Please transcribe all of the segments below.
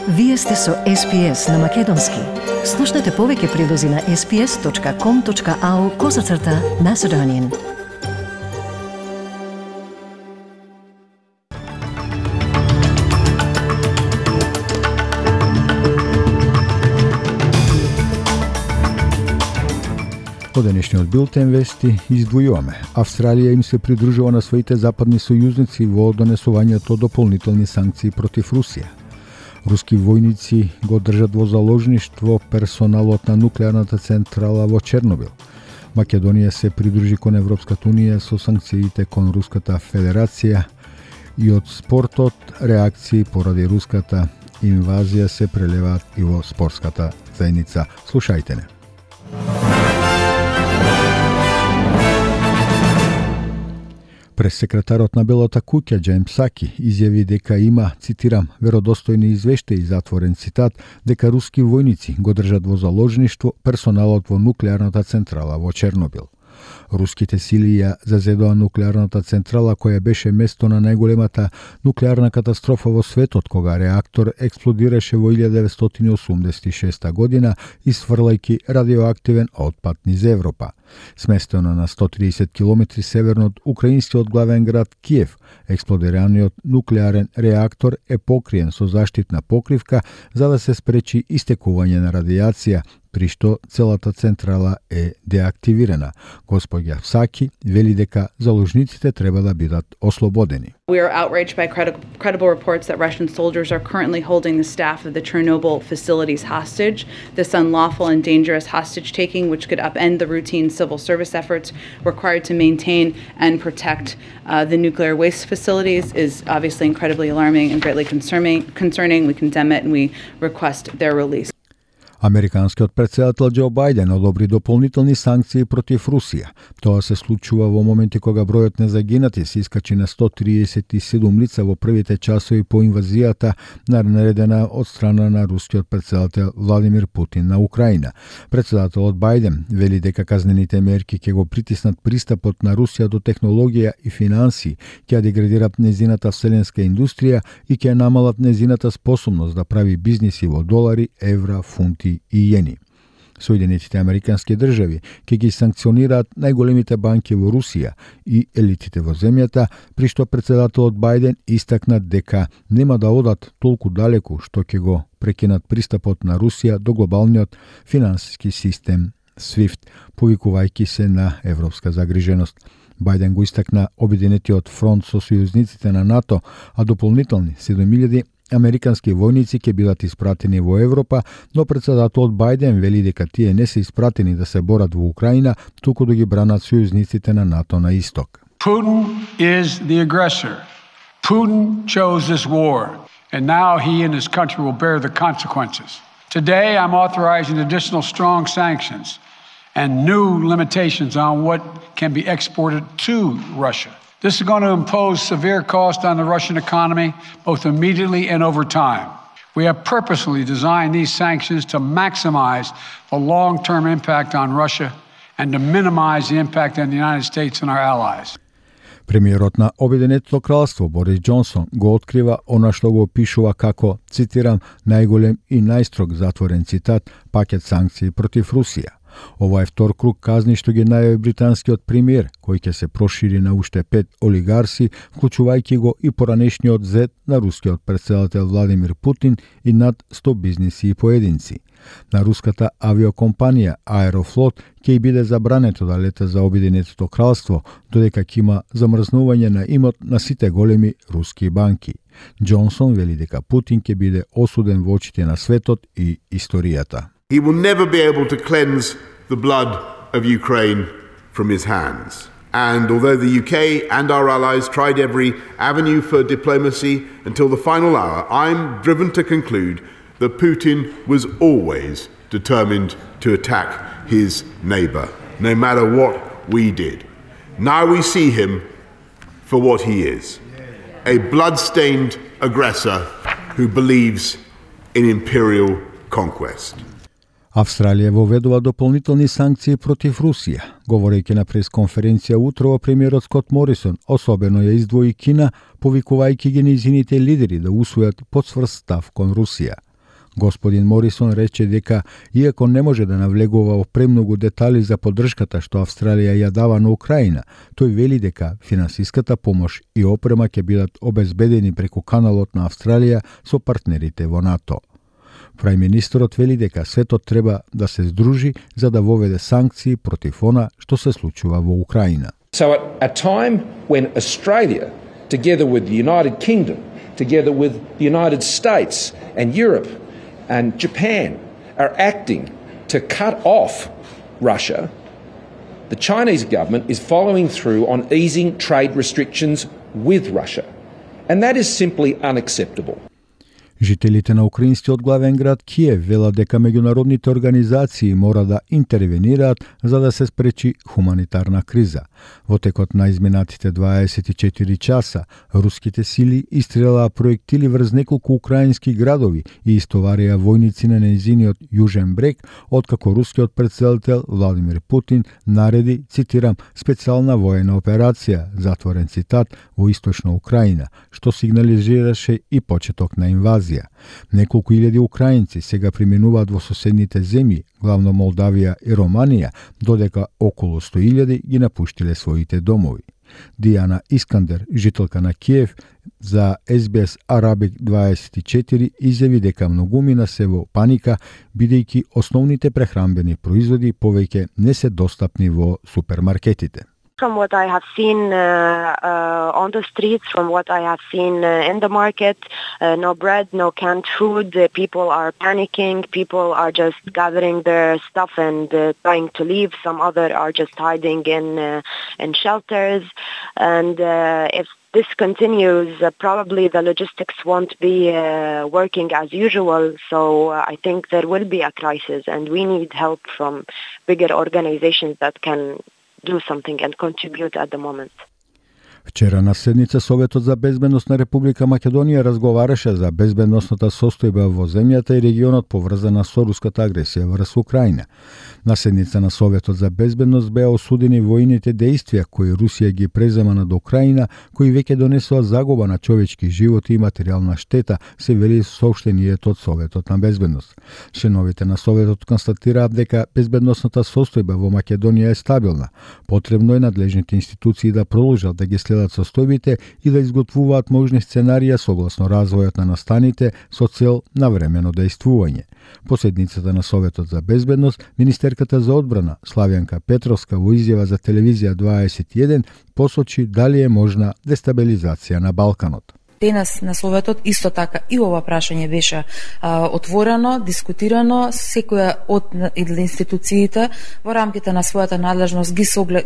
Вие сте со SPS на Македонски. Слушнете повеќе прилози на sps.com.au/Macedonian. Во денешниот билтен вести издвојуваме. Австралија им се придружува на своите западни сојузници во донесувањето дополнителни санкции против Русија. Руски војници го држат во заложништво персоналот на нуклеарната централа во Чернобил. Македонија се придружи кон Европската унија со санкциите кон Руската Федерација и од спортот реакции поради руската инвазија се прелеваат и во спортската заедница. Слушајте не. Пресекретарот на Белата куќа Џен Псаки изјави дека има, цитирам, веродостојни извештаи, затворен цитат, дека руски војници го држат во заложништво персоналот во нуклеарната централа во Чернобил. Руските сили ја зазедоа нуклеарната централа која беше место на најголемата нуклеарна катастрофа во светот кога реактор експлодираше во 1986 година исфрлајќи радиоактивен отпад низ Европа. Сместена на 130 км северно од украинскиот главен град Киев, експлодираниот нуклеарен реактор е покриен со заштитна покривка за да се спречи истекување на радијација, при што целата централа е деактивирана. Господја Псаки вели дека заложниците треба да бидат ослободени. We are outraged by credible reports that Russian soldiers are currently holding the staff of the Chernobyl facilities hostage. This unlawful and dangerous hostage-taking, which could upend the routine civil service efforts required to maintain and protect the nuclear waste facilities, is obviously incredibly alarming and greatly concerning. We condemn it and we request their release. Американскиот председател Џо Бајден одобри дополнителни санкции против Русија. Тоа се случува во моменти кога бројот на загинати се искачи на 137 лица во првите часови по инвазијата наредена од страна на рускиот председател Владимир Путин на Украина. Председателот Бајден вели дека казнените мерки ќе го притиснат пристапот на Русија до технологија и финансии, ќе деградират незината вселенска индустрија и ќе намалат незината способност да прави бизниси во долари, евра, фунти и јени. Соединетите американски држави ќе ги санкционираат најголемите банки во Русија и елитите во земјата, при што председателот Бајден истакна дека нема да одат толку далеку што ќе го прекинат пристапот на Русија до глобалниот финансиски систем SWIFT, повикувајќи се на европска загриженост. Бајден го истакна обединетиот фронт со сојузниците на НАТО, а дополнителни 7000 американски војници ќе бидат испратени во Европа, но председателот Бајден вели дека тие не се испратени да се борат во Украина, туку да ги бранат сојузниците на НАТО на исток. Putin is the aggressor. Putin chose this war, and now he and his country will bear the consequences. Today I'm authorizing additional strong sanctions and new limitations on what can be exported to Russia. This is going to impose severe cost on the Russian economy, both immediately and over time. We have purposely designed these sanctions to maximize the long-term impact on Russia and to minimize the impact on the United States and our allies. Премиерот на Обединетото кралство Борис Џонсон го открива она што го опишува како, цитирам, најголем и најстрог, затворен цитат, пакет санкции против Русија. Ова е втор круг казни што ги најави британскиот премиер, кој ќе се прошири на уште 5 олигарси, вклучувајќи го и поранешниот зет на рускиот председател Владимир Путин и над 100 бизниси и поединци. На руската авиокомпанија Аерофлот ќе биде забрането да лета за Обединетото кралство, додека ќе има замрзнување на имот на сите големи руски банки. Џонсон вели дека Путин ќе биде осуден во очите на светот и историјата. He will never be able to cleanse the blood of Ukraine from his hands. And although the UK and our allies tried every avenue for diplomacy until the final hour, I'm driven to conclude that Putin was always determined to attack his neighbour, no matter what we did. Now we see him for what he is, a blood-stained aggressor who believes in imperial conquest. Австралија воведува дополнителни санкции против Русија. Говорејќи на пресконференција утрово, премиерот Скот Морисон особено ја издвои Кина, повикувајќи ги нејзините лидери да усвојат потврд став кон Русија. Господин Морисон рече дека, иако не може да навлегува во премногу детали за поддршката што Австралија ја дава на Украина, тој вели дека финансиската помош и опрема ќе бидат обезбедени преку каналот на Австралија со партнерите во НАТО. Прајминистерот вели дека светот треба да се здружи за да воведе санкции против она што се случува во Украина. So at a time when Australia, together with the United Kingdom, together with the United States and Europe and Japan, are acting to cut off Russia, the Chinese government is following through on easing trade restrictions with Russia. And that is simply unacceptable. Жителите на украинскиот главен град Киев велат дека меѓународните организации мора да интервенираат за да се спречи хуманитарна криза. Во текот на изминатите 24 часа, руските сили истрелаа проектили врз неколку украински градови и истоварија војници на нејзиниот јужен брег, откако рускиот претседател Владимир Путин нареди, цитирам, специјална воена операција, затворен цитат, во источна Украина, што сигнализираше и почеток на инвазија. Неколку илјади украинци сега преминуваат во соседните земји, главно Молдавија и Романија, додека околу 100.000 ги напуштиле своите домови. Дијана Искандер, жителка на Киев, за SBS Arabic 24 изјави дека многумина се во паника, бидејќи основните прехранбени производи повеќе не се достапни во супермаркетите. From what I have seen on the streets, from what I have seen in the market, no bread, no canned food. People are panicking. People are just gathering their stuff and trying to leave. Some other are just hiding in shelters. And if this continues, probably the logistics won't be working as usual. So I think there will be a crisis, and we need help from bigger organizations that can do something and contribute at the moment. Вчера на седница Советот за безбедност на Република Македонија разговараше за безбедносната состојба во земјата и регионот поврзана со руската агресија врз Украина. На седница на Советот за безбедност беа осудени војните дејствија кои Русија ги презема над Украина, кои веќе донесоа загуба на човечки животи и материјална штета, се вели соопштението од Советот на безбедност. Членовите на Советот констатираат дека безбедносната состојба во Македонија е стабилна. Потребно е надлежните институции да продолжат да ги следат состојбите и да изготвуваат можни сценарија согласно развојот на настаните со цел на времено дејствување. По седницата на Советот за безбедност, министерката за одбрана Славјанка Петровска во изјава за телевизија 21 посочи дали е можна дестабилизација на Балканот. Денес на Советот исто така и ова прашање беше отворено, дискутирано, секоја од институциите во рамките на својата надлежност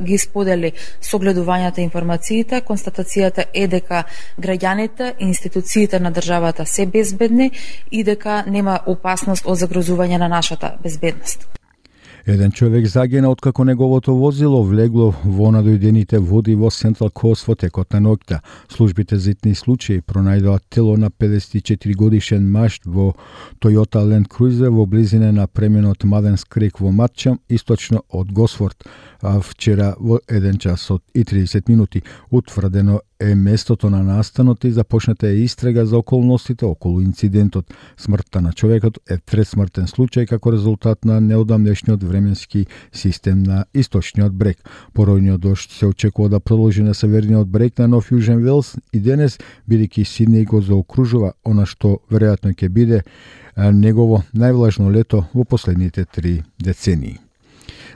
ги сподели согледувањата информациите. Констатацијата е дека граѓаните и институциите на државата се безбедни и дека нема опасност од загрозување на нашата безбедност. Еден човек загина откако неговото возило влегло во надојдените води во Сентрал Кост во текот на ноќта. Службите за итни случаи пронајдоа тело на 54 годишен маж во Toyota Land Cruiser во близина на преминот Маденс Крик во Матчам, источно од Госфорд, вчера во 1 час и 30 минути. Утврдено е местото на настанот и започната е истрага за околностите околу инцидентот. Смртта на човекот е трет смртен случај како резултат на неодамнешниот временски систем на источниот брег. Поројниот дожд се очекува да продолжи на северниот брег на Нов Јужен Велс и денес, бидејќи Сиднеј го заокружува она што веројатно ќе биде негово највлажно лето во последните 3 децении.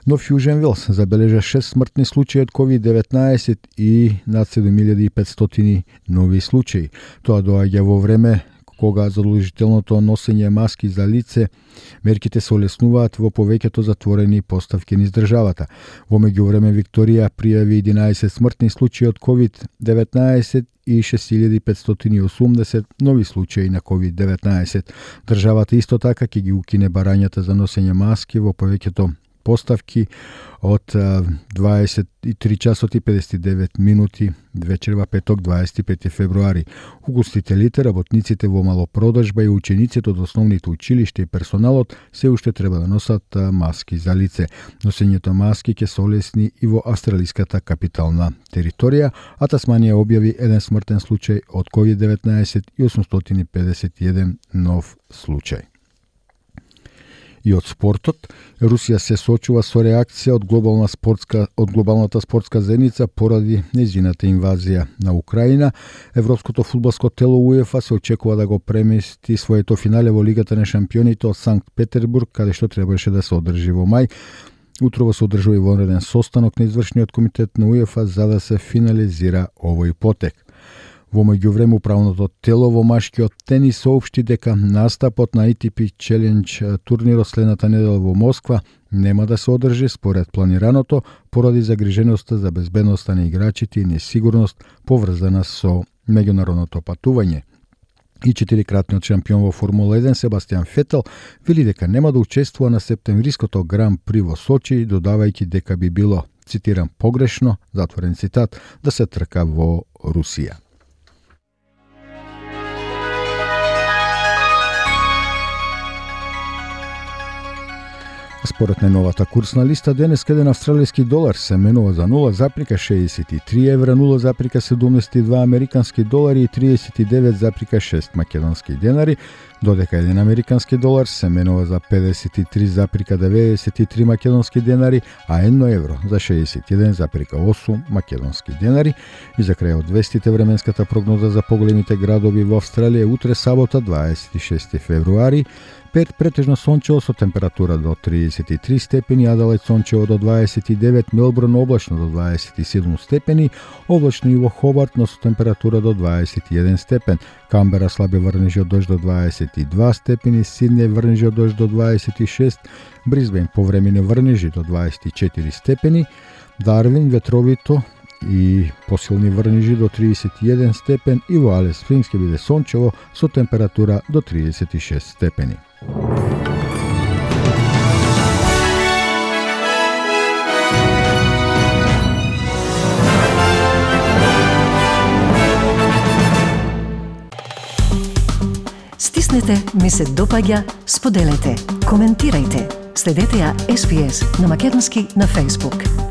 Нов Јужен Велс забележа 6 смртни случаи од COVID-19 и над 7500 нови случаи. Тоа доаѓа во време кога задолжителното носење маски за лице, мерките се олеснуваат во повеќето затворени поставки низ државата. Во меѓувреме Викторија пријави 11 смртни случаи од COVID-19 и 6580 нови случаи на COVID-19. Државата исто така ќе ги укине барањата за носење маски во повеќето поставки од 23 часот и 59 минути вечерва петок 25 февруари. Угостителите, работниците во малопродажба и учениците од основните училишта и персоналот се уште треба да носат маски за лице. Носењето маски ќе се олесни и во австралиската капитална територија, а Тасманија објави еден смртен случај од COVID-19 и 851 нов случај. И од спортот, Русија се соочува со реакција од глобалната спортска заедница поради нејзината инвазија на Украина. Европското фудбалско тело УЕФА се очекува да го премести своето финале во Лигата на шампионите од Санкт Петербург, каде што требаше да се одржи во мај. Утрово се одржува и вонреден состанок на извршниот комитет на УЕФА за да се финализира овој потек. Во меѓувреме управното тело во машкиот тенис соопшти дека настапот на ATP Challenge турнирот следната недела во Москва нема да се одржи според планираното поради загриженоста за безбедноста на играчите и несигурност поврзана со меѓународното патување. И 4-кратниот шампион во Формула 1 Себастијан Фетел вели дека нема да учествува на септемвриското Гран При во Сочи, додавајќи дека би било, цитирам, погрешно, затворен цитат, да се трка во Русија. Според најновата курсна листа, денес еден австралиски долар се менува за 0,63 евра, 0,72 американски долари и 39,6 македонски денари, додека еден американски долар се менува за 53,93 македонски денари, а 1 евро за 61,8 македонски денари. И за крај од вестите, временската прогноза за поголемите градови во Австралија утре сабота 26 февруари, Перт претежно сончево со температура до 33 степени, Аделајд сончево до 29, Мелбурн облачно до 27 степени, облачно и во Хобарт, но со температура до 21 степен, Камбера слаби врнежи од дожд до 22 степени, Сиднеј врнежи од дожд до 26, Брисбен повремени врнежи до 24 степени, Дарвин ветровито и посилни врнежи до 31 степен и во Алис Спрингс ќе биде сончево со температура до 36 степени. Стиснете, ми се допаѓа, споделете, коментирајте. Следете ја SPS на македонски на Facebook.